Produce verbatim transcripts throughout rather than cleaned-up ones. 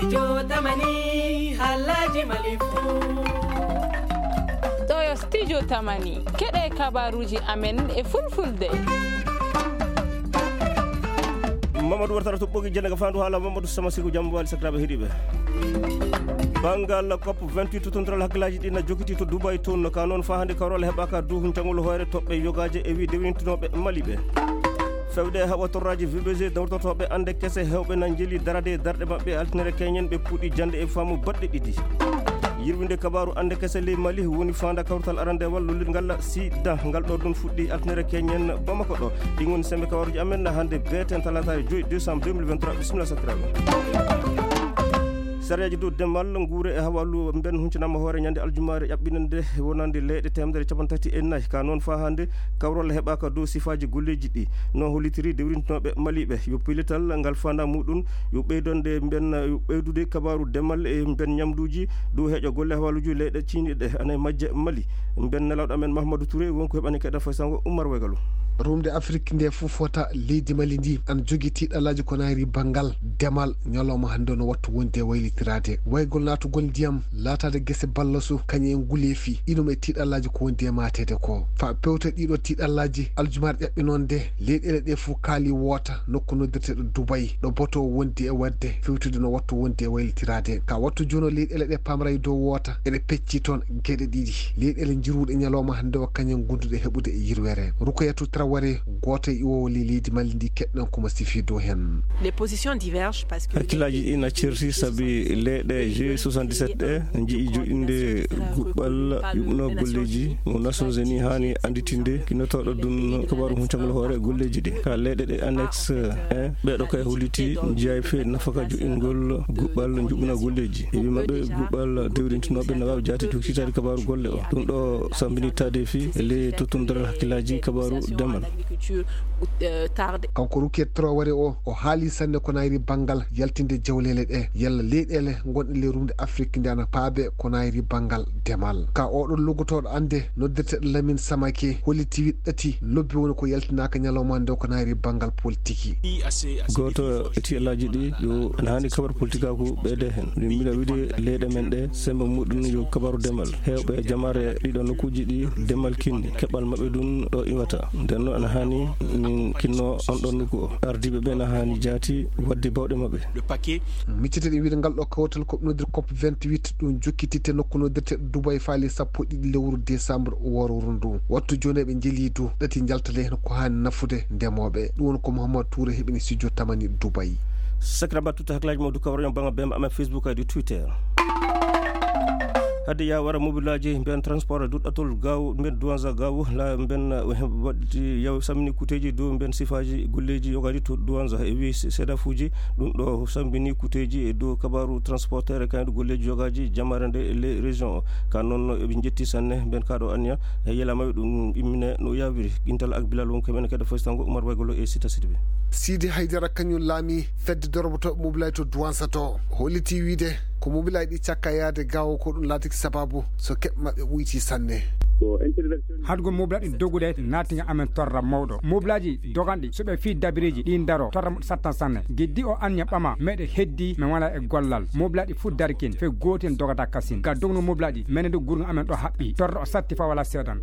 Studio Tamani, haalaaji Mali fuu. Ɗo yo Studio Tamani, keɗe kabaruuji amen e fulfulde. Mamadou Wartara to ɓogi jannde ka faandu haala Mamadou Sama Siku, jam waali sakiraaɓe heɗiiɓe. Banngal COP vingt-huit, tottondiraal hakkillaaji ɗi na jokiti to Dubai toon, ka noon faa hannde kawral heɓaaka dow huncangol hoore toɓɓe yogaaje e wi dewrintinooɓe Mali ɓe. Fewde e haɓa torraaji V B G, dawrotooɓe annde kese heewɓe na njeli darade e darɗe maɓɓe altine keñen, ɓe puɗɗi jannde e faamu baɗɗe ɗiɗi. Yirwinde kabaaru annde kese ley Mali woni faanda kawtal arandewal lollirngal sida, ngal ɗo ɗum fuɗɗi altine keñen Bamako ɗo. Ɗi ngoni sembe kabaaruji amen hannde beeten talaata joy décembre deux mille vingt-trois. Bisimilla sakiraaɓe. Sariyaaji dow demal, nguure e hawalu mben huncanaama hoore ñande aljumaare ƴaɓɓinande wonande leyɗe teemedere capanɗe tati e nayi. Ka noon faa hannde kawral heɓaaka dow sifaaji golleeji ɗi. No hollitiri dewrintinooɓe Maliiɓe, yo pellital ngal faandaa muɗum yo ɓeydande mben, yo ɓeydude kabaaru demal e mben ñamduuji dow heeƴo golle hawaluuji leyɗe ciiniiɗe ana e majje Mali. Mben nelawɗo amen Mahamadou Touré won ko heɓani keɗa faysango Oumar Wegalo. Rumde Afrik nde fof fota leydi Mali ndi an jogi tiiɗalaaji ko nayri banngal demal. Ñalawma hannde no wattu wonde e waylitiraade. Waygol naatugol ndiyam, laataade gese ballasu, kañe e nguleefi, inum e tiiɗalaaji ko wondi e maateede ko. Fa pewta ɗiɗo tiiɗalaaji, aljumaare ƴaɓɓi noon nde, leyɗeele ɗe fof kaali woota, nokku noddirteeɗo Dubai, ɗo boto wondi e waɗde, fewtude no wattu wondi e waylitiraade. Ka wattu jooni o, leyɗeele ɗe pamra e dow woota, eɗe pecci toon geɗe ɗiɗi. Leyɗeele njiruɗe ñalawma hannde o, kañe gonduɗe heɓude e yirwere. Rukoyatu Traoré, gooto e iwoowo ley leydi Mali ndi, keɗɗen ko mo sifi dow heen. Les positions divergent parce que hakkillaaji ɗi na certi sabi leyɗe G soixante-dix-sept ɗe nji'i joɗɗinde guɓɓal yuɓno golleeji mo Nations Unies haani annditinde kinnotooɗo ɗum kabaaru huncangol hoore golleeji ɗi. Ka leyɗe ɗe annexe en, ɓeeɗo kay holliti njiyaay fee nafaka joɗɗingol guɓɓal njuɓɓina golleeji. E wi maɓɓe guɓɓal dewrintinooɓe na waawi jaati jokkitaade kabaaru golle o. Ɗum ɗo sambini taade fii e ley tottondiral hakkillaaji kabaaru demal. Kanko Rukiya Traoré o, o haali sanne ko nayri banngal yaltinde jawleele ɗe, yalla leyɗeele gonɗe ley rumde Afrik nde ana paabe ko nayri banngal demal. Ka oɗo loggotooɗo annde noddirteeɗo Lamine Samake holliti wiɗɗati lobbi woni ko yaltinaaka ñalawma nde ko nayri banngal politiki. Gooto e tiiɗalaaji ɗi yo ana haani kabar politikaaku ɓeyde heen. Min mbiɗa wiɗi leyɗe men ɗe, sembe muɗum yo kabaru demal. Heewɓe jamaare ɗiɗo nokkuuji ɗi demal kinni, keɓal maɓɓe ɗum ɗo iwata. Nden noon ana haani min kinno on ɗon nokku o. Ardiiɓe ɓe na haani jaati waɗde bawɗe maɓɓe. Miccete ɗe wiide ngal ɗo kawtal ko nodir COP vingt-huit, ɗum jokkititte nokku nodirte Dubai faali sappo e ɗiɗi lewru décembre woro ndu. Wattu jooni ɓe njeli du ɗati njaltale heen ko haani nafude ndemooɓe. Ɗum woni ko Mouhammad Touré heɓini studio Tamani Dubai. Sakra battuta haklaaji mawdu kawra yon banga bem ama Facebook adi Twitter. Hade ya wara mobilaaji mben transport duɗɗatol gaaw mben douanza gaaw la mben, eh, waɗi yaw samini kuteeji dow mben sifaaji golleeji yogaaji to douanza e wi seedafuuji. Ɗum ɗo sambini kuteeji e dow kabaaru transporteur e kaydu golleeji yogaaji jamaare nde e les régions o. Ka noon eɓe njetti sanne mben kaɗo anniya e yela maɓɓe ɗum immine no yawiri. Gintal ak bilal won ko men keɗa fostango Oumar Waygolo e Sita Sidibé. Sidi Haydara kañum laami fedde dorbotoɓe mobilaaji to douanza to holliti wiide ko mobilaaji ɗi cakka yaade gaawo ko ɗum laatiki sababu so keɓ maɓɓe ɓuyti sanne. Hadgol mobilaaji ɗi dogude naatiga amen torra mawɗo. Mobilaaji doganɗi so ɓe fii dabireeji ɗi daro torra muɗo sattan sanne. Geddi o anniya ɓama meɗe heddi men wala e gollal. Mobilaaji ɗi fof darikin fe gooten dogata kasin. Ga dogno mobilaaji ɗi menen ɗo gurgo amen ɗo haɓɓi torra o satti fa wala seedan.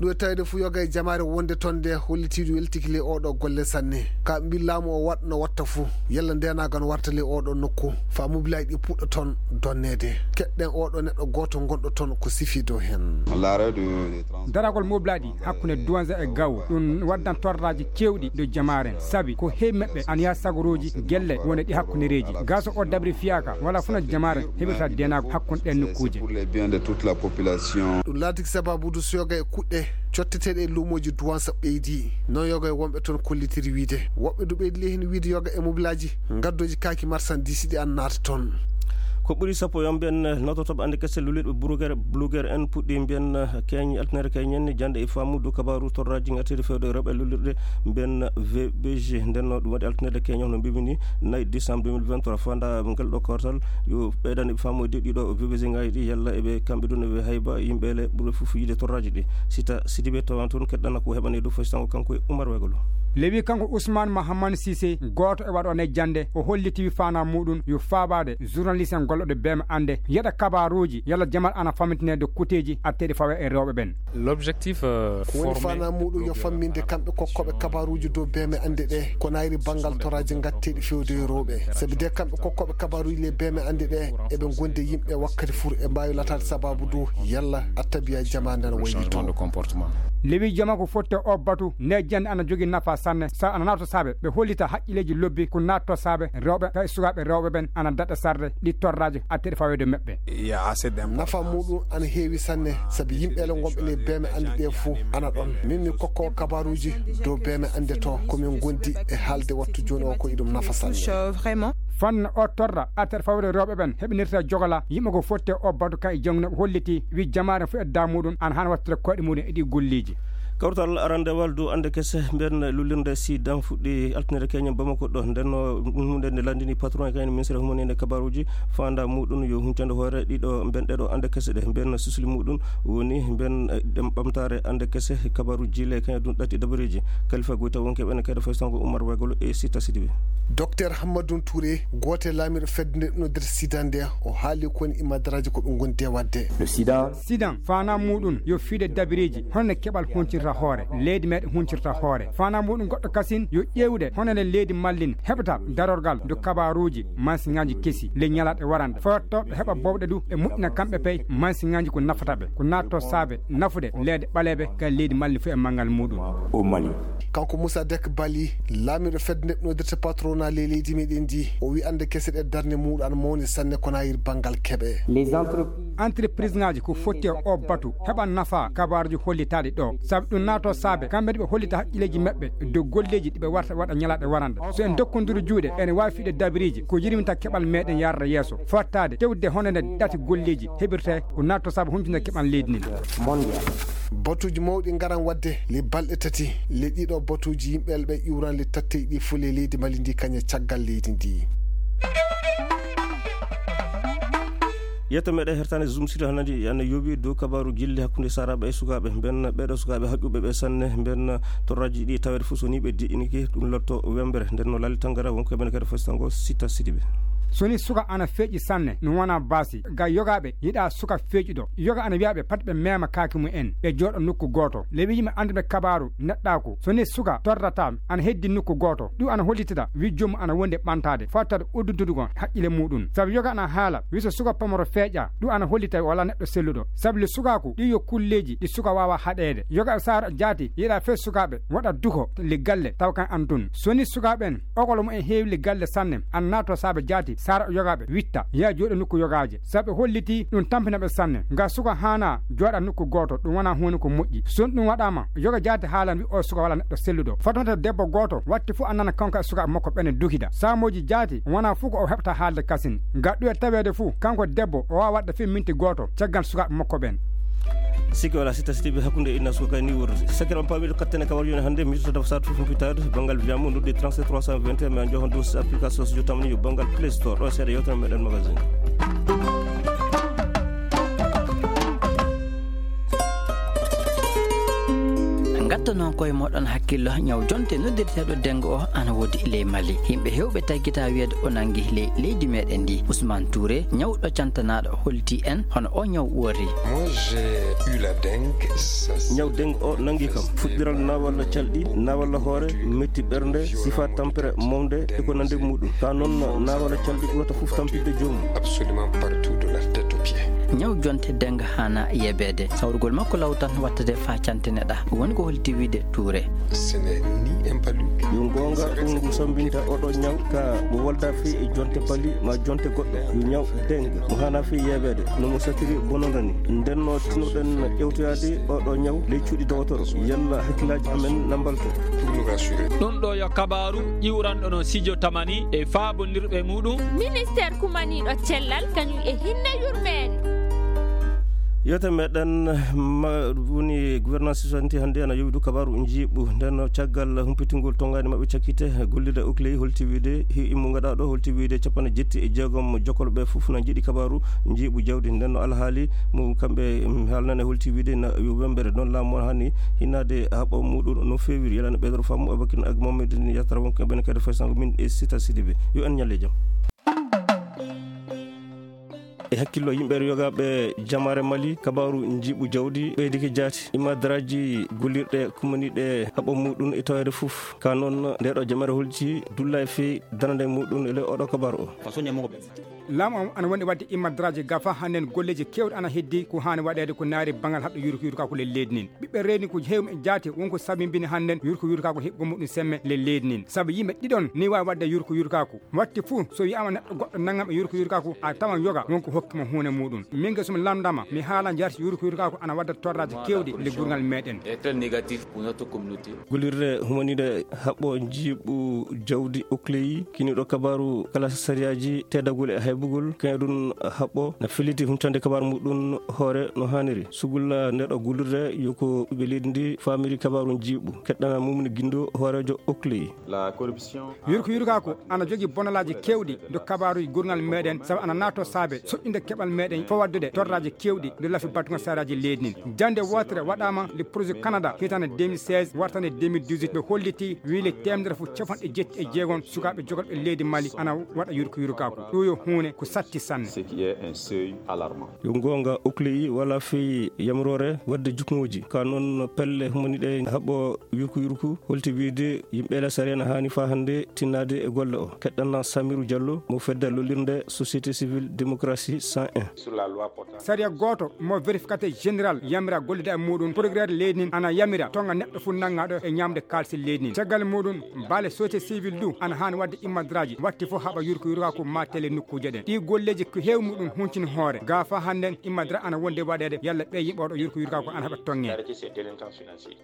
Ɗum e tawde fof yoga e jamaare wonde toon nde hollitiiɗo weltiki ley oɗo golle sanne. Ka mbi laamu o waɗ no watta fof yalla ndenagal no warta ley oɗo nokku fa mobilaaji ɗi puɗɗa toon donneede. Keɗɗen oɗo neɗɗo gooto gonɗo toon ko sifi dow heen. Daragol mobilaaji hakkunde douanza e gawo ɗum waddan torraji kewɗi dow jamaaren sabi ko heewi maɓɓe ana yaha sagorooji gelle woni ɗi hakkundereeji. Gaso o dabri fiyaka wala funa jamaaren heɓirta denago hakkunde ɗen nokkuuje. Ɗum laatiki sababude so yoga e kuɗɗe cotteteeɗe e luumooji douanza ɓeydi. Noon yoga e wonɓe toon kollitiri wiide woɓɓe du ɓeydi ley heen wiide yoga e mobilaaji ngaddoji kaaki marsandiisi ɗi an naata toon. Ko ɓuri sappo yo mbiyen nototooɓe annde kese lullirɓe blogueur blogueur en puɗɗi mbiyen keeñ altinaare keeñen jannde e faamu dow kabaaru torraaji ngartiiɗe fewde rewɓe lullirɗe mbiyen V B G. Nden no ɗum waɗi altinaare keeñen no mbimi ni nayi décembre deux mille vingt-trois fanda ngal ɗo kawtal yo ɓeydani ɓe faamu e ɗiɗo V B G ngaji ɗi yalla eɓe kamɓe ɗum eɓe hayba yimɓe ele ɓurɓe fof yiide torraaji ɗi. Sita Sidibe tawa toon keɗɗana ko heɓani e dow faysango kanko e Oumar Wegolo. Lewi kanko Ousmane Mahaman Cissé, gooto e waɗooɓe jannde, o holliti wi faanaa muuɗum yo faabaade journaliste en gollooɓe beeme annde, yeɗa kabaaruuji, yalla jamal ana fammintinee dow kuuteeji atteeɗi fawe e rewɓe ɓen. L'objectif, euh, ko woni faanaa muuɗum yo famminde kamɓe kokkooɓe kabaaruuji dow beeme annde ɗe, ko nayri banngal toraaji ngatteeɗi fewde e rewɓe. Sabi de kamɓe kokkooɓe kabaaruuji le beeme annde ɗe, eɓe ngondi e yimɓe wakkati fur e mbaawi lataade sabaabu dow yalla attabiya jamaande ana waylitoo. Lewi jama ko fotte o batu, nde jannde ana jogii nafa sanne, sa ana naatoo saabe, ɓe hollita haqqileeji lobbi, ko naatoo saabe rewɓe, kay sukaaɓe rewɓe ɓen ana daɗa sarde, ɗi torraaji atteeɗi faweede maɓɓe. Nafa muuɗum ana heewi sanne, sabi yimɓe ele ngonɓe ley beeme annde ɗe fof ana ɗon. Min mi kokkoowo kabaaruuji dow beeme annde to, ko min ngondi e haalde wattu jooni o ko iɗum nafa sanne. Fanna o torra atteeɗi faweede rewɓe ɓen heɓinirta jogola, yimɓe ko fotte o batu kay jangno holliti, wi jamaare fof e daa muuɗum ana haani wattude koyɗe muuɗum e ɗi golleeji. Kawtal arandewal dow annde kese mben lullirde sidan fuɗɗi altine keñen Bamako ɗo. Nden no ɗum huunde nde lanndini patron e kañum ministre humaninde kabaruuji, faanda muuɗum yo huncande hoore ɗiɗo mben ɗeɗo annde kese ɗe. Mben susli muuɗum woni mben, eh, ɗem ɓamtaare annde kese kabaruuji le kañum ɗum ɗatti dabareeji. Kalifa Goyta wonke ɓen kayɗo faysango Oumar Waygolo e Sita Sidibe. Docteur Hammadou Touré, gooto e laamiiɗo fedde nde ɗum noddirta sidan nde, o haali ko woni imadaraaji ko ɓe ngondi e waɗde. Sidan, faanaa muuɗum yo fiide dabireeji, hono no keɓal huncirta hoore, leydi meeɗen huncirta hoore. Faanaa muuɗum goɗɗo kasin yo ƴeewde hono no leydi mallin heɓata darorgal dow kabaaruuji, mansiŋaaji kesi, ley ñalaaɗe warande. Fotto ɓe heɓa bowɗe du, ɓe moƴƴina kamɓe pey, mansiŋaaji ko nafata ɓe, ko naatto saabe nafude leyɗe ɓaleeɓe, kay leydi mallin fof e manngal muuɗum. Kanko Moussa Dek Bali, laamiiɗo fedde nde noddirta patronat ley leydi meɗen ndi, o wi annde kese ɗe darnde muuɗum ana mawni sanne ko nayir banngal keɓe. Entreprise ŋaaji ko fotti e o batu heɓa nafa kabaaruji hollitaaɗi ɗo. Sabi ɗum naato saabe, kamɓe ɓe hollita haqqileeji maɓɓe dow golleeji ɗi ɓe warta waɗa ñalaaɗe warande. So en dokkondiri juuɗe, ene waawi fiide dabiriji ko yirminta keɓal meɗen yarata yeeso. Fottaade tewde hono nde ɗati golleeji heɓirte ko naatto saabe huncunde keɓal leydi ndin. Batuuji mawɗi ngaran waɗde le balɗe tati. Le ɗiɗo batuuji yimɓe ɓe iwran le tatte ɗi fof le leydi Mali ndi kañe caggal leydi ndi. Yetto meɗen hertani Zoom City hanadi ana yowi dow kabaru gilli hakkunde saraɓe e sukaɓe. Mben ɓeɗo sukaɓe haƴƴuɓe ɓe sanne, mben torraji ɗi tawede fof so ni ɓe di'iniki ɗum lotto wembere. Nden no Lali Tangara wonko ɓen kadi fasitango Sita Sidiɓe. So ni suka ana feƴƴi sanne, no wona baasi. Ga yogaɓe yiɗa suka feƴƴuɗo. Yoga ana wiyaɓe pat ɓe mema kaaki mum en, ɓe jooɗo nokku gooto. Lewi yimɓe annduɓe kabaaru neɗɗaaku. So ni suka torrata ana heddi nokku gooto, ɗum ana hollitida wi joomum ana wondi e ɓantaade, fawtaade udduntude kon haqqille muɗum. Sabu yoga ana haala wi so suka pamaro feeƴa, ɗum ana hollita o wala neɗɗo selluɗo. Sabu le sukaaku ɗi yo kulleeji ɗi suka waawa haɗeede. Yoga e saara jaati yiɗa fee sukaaɓe waɗa duko le galle taw kan an tun. So ni sukaaɓe en okolo mum en heewi le galle sanne, an naato saabe jaati saara yogaaɓe witta yaa jooɗo nokku yogaaje. Sabu ɓe holliti ɗum tampina ɓe sanne. Nga suka haana jooɗa nokku gooto, ɗum wona huunde ko moƴƴi. So ɗum waɗaama, yoga jaati haalan wi o suka wala neɗɗo selluɗo. Fatonta debbo gooto watti fof annana kanko e suka makko ɓene dukida. Saamooji jaati wona fof ko o heɓta haalde kasin. Nga ɗuwe taweede fof, kanko debbo o waawa waɗde fof minti gooto caggal sukaaɓe makko ɓen. Sikki wala Sita Sidiɓe hakkunde inna suka kay ni wurdi. Sakkiram paamiɗo kattene kawar yoni hannde mi yettoto dafa sat fof humpitaade banngal wiyaama noddi trente-sept trois cent vingt et un, mi an joxon dow application so jotamani yo banngal Play Store ɗo seeɗa yewtere meɗen magazine. Ngatta noon koye moɗon hakkillo ñaw jonte noddirteeɗo dengo o ana woodi ley Mali. Yimɓe heewɓe taggita wiyeede o nangi ley leydi meɗen ndi. Ousmane Touré, ñawɗo cantanaaɗo, holti en hono o ñaw wori. Moi, j'ai eu la dengue. Ñaw dengue o nangi kam. Fuɗɗiral nawalla calɗi, nawalla hoore, metti ɓernde, sifa tampere mawde e ko nande muɗum. Ka noon nawalla calɗi ɓurata fof tampinde joomum. Absolument partout de la tête aux pieds. Ñaw jonte dengue haana yebeede. Sawrugol makko law tan wattade faa cantineɗa. Woni ko holti wiide Touré. Ce n'est ni un palu. Yo goonga ɗum ngu sambinta oɗo ñaw ka mo walda fii e jonte pali ma jonte goɗɗo. Yo ñaw dengue mo haana fii yebeede no mo satiri bononda ni. Nden no tinoɗen ƴewtoyaade oɗo ñaw ley cuuɗi dowotoro. Yalla hakkillaaji amen na mbalto. Pour nous rassurer. Ɗum ɗo yo kabaaru iwranɗo no Sijo Tamani e faabondirɓe muɗum. Ministeer kumaniiɗo cellal kañum e hinne yurmeende. Yewtere meɗen ma-, woni gouvernance santi hannde ana yowidu kabaaru njiiɓu. Nden no caggal humpitingol tongaani maɓɓe cakkite, gollirde Oakley holti wiide hi immu ngaɗa ɗo, holti wiide capanɗe jetti e jeegom jokkolɓe fof na njiɗi kabaaru njiiɓu jawdi. Nden no alhaali mo kamɓe, mm, haalnane holti wiide na yo wembere noon laamu on hani hinnaade haɓɓo muɗum no feewiri. Yalana ɓeydoro faamu Abakir ak Mamadou Yatara wonko ɓen kadi faysango min e Sita Sidibe. Yo en ñalle jam. E hakkillo yimɓe yogaaɓe jamaare Mali, kabaaru njiiɓu jawdi ɓeydike jaati. Imadraji gollirɗe kumaniɗe haɓɓo muɗum e taweede fof. Ka noon, nde ɗo jamaare holti dulla e fii darande muɗum e ley oɗo kabaaru o. Laamu o ana wondi waɗde imadraji gafa hannden golleeji keewɗi ana heddi ko haani waɗeede ko naari bangal haɓɓe yurko yurka ko le leydi nin. Ɓiɓɓe reeni ko heew e jaati wonko sabimbini hannden yurko yurka ko heɓgo muɗum semme le leydi nin. Sabu yimɓe ɗiɗon ni waawi waɗde yurko yurka ko. Watti fuu, so wiyaama neɗɗo goɗɗo nanngam e yurko yurkaaku, a tawan yoga wonko hokki mo huunde muɗum. Min ge so mi lamndama, mi haala njarti yurko yurkaaku ana wadda torraaji keewɗi le gurngal meɗen. Est très négatif pour notre communauté. Gollirde humaniɗe haɓɓo njiiɓu jawdi Oakley, kiniɗo kabaaru kala sariyaaji teddagol e haybugol, kañum ɗum haɓɓo na felliti huntande kabaaru muɗum hoore no haaniri. Sugulla ndeɗo gollirde yo ko ɓiɓɓe leydi ndi faamiri kabaaru njiiɓu. Keɗɗana Mumni Gindo, hooreejo Oakley. La corruption. Yurko yurkaaku ana jogii bonalaaji keewɗi ndo kabaaruuji gurngal meɗen, sabu ana naatoo saabe soƴƴinde keɓal meɗen fof waddude torraaji keewɗi ndo lafi batugol saraaji leydi nin. Jannde wootere waɗaama le projet Canada hitande deux mille seize wartande deux mille dix-huit, ɓe holliti wii le teemedere fof capanɗe jetti e jeegom sukaaɓe jogorɓe leydi Mali ana waɗa yurko yurkaaku. Ɗum yo huunde ko satti sanne. Ce qui est un seuil alarmant. Yo goonga, Oakley wala fii yamroore waɗde jukngooji. Ka noon pelle humaniɗe haɓɓo yurko yurko holti wiide yimɓe la sariya na haani faa hannde tinnaade e golle o. Keɗɗana Samiru Diallo mo fedde lollirde Société Civile Démocratie cent un. Sur la loi portant. Sariya gooto mo vérificateur général yamira gollude e muɗum, procureur leydi nin ana yamira tonga neɗɗo fof nanngaɗo e ñamde kaalisi leydi nin. Caggal muɗum, baale société civile du ana haani waɗde imadraji watti fof haɓa yurko yurka ko ma tele nokkuuje ɗen. Ɗi golleeji ko heew muɗum huncini hoore. Ga faa hannden imadra ana wonde waɗeede yalla ɓe yimɓe oɗo yurko yurka ko ana haɓa tonge.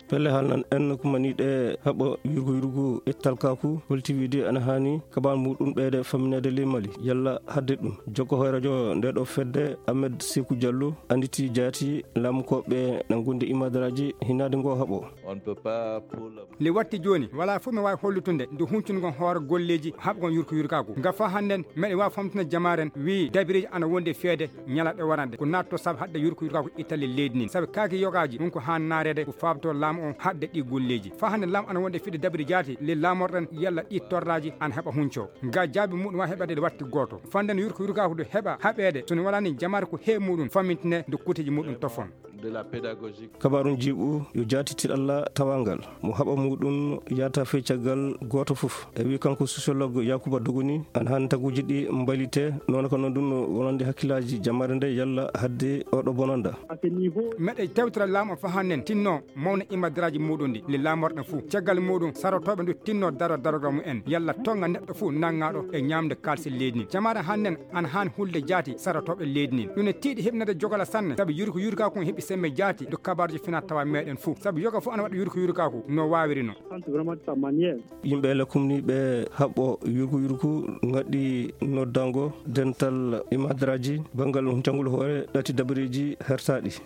Pelle haalnan en kumaniɗe haɓɓo yurko yurko ettal kaku holti wiide ana haani kabaaru muɗum ɓeyde famminede ley Mali. Yalla hadde ɗum. Jokko hoore radio nde ɗo fedde Ahmed Sekou Diallo anditi jaati laamu ko ɓe na gondi imadraji hinade ngo haɓo. On ne peut pas pour le Nde watti jooni, walaa fof mi waawi hollutude nde huncungon hoore golleeji haɓgon yurko yurkaaku. Nga faa hannden, meɗen waawi famtude jamaaren, wii dabireeji ana wondi e feede ñalaaɗe warande. Ko naatto sabu haɗde yurko yurkaaku ittale leydi nin. Sabu kaaki yogaaji, ɗum ko haan naareede, ko faabtoo laamu on haɗde ɗi golleeji. Faa hannden laamu ana wondi e fiɗde dabiri jaati, le laamorɗen yalla ɗi torraaji ana heɓa huncoo. Nga jaabi muɗum waawi heɓeede nde watti gooto. Fanden yurko yurkaaku nde heɓa haɓeede, so ne walaa ni jamaare ko heew muɗum famintine nde kuuteeji muɗum tofon. De la pédagogie. Kabaaru jiiɓu yo jaatiti Allah tawangal mo haɓa muɗum yaata fey caggal gooto fof. E wi kanko sociologue Yakuba Dogoni, an han taguji ɗi mbalite, noon ko noon ɗum no wonande hakkillaaji jamaare nde yalla hadde oɗo bonanda. Meɗe tewtira laamu o fahannen tinno mawna imadraji muɗum ɗi le laamorɗe fuu. Caggal muɗum sarotooɓe ndu tinno daro darogal mumen yalla tonga neɗɗo fuu nangaɗo e ñamde kalse leydi ni. Jamaare hannen ana han hulde jaati sarotooɓe leydi ni. Ɗum ne tiiɗi heɓnade jogala sanne sabu yurko yurkaku heɓi sembe jaati do kabaruji fina tawa meɗen fuu. Sabu yoga fuu ana waɗa yurko yurkaku no wawiri no. Yimɓe le kumniɓe haɓɓo yurko yurku ngaɗɗi noddango dental imadraji bangal huncangol hoore ɗati dabareji hertaɗi.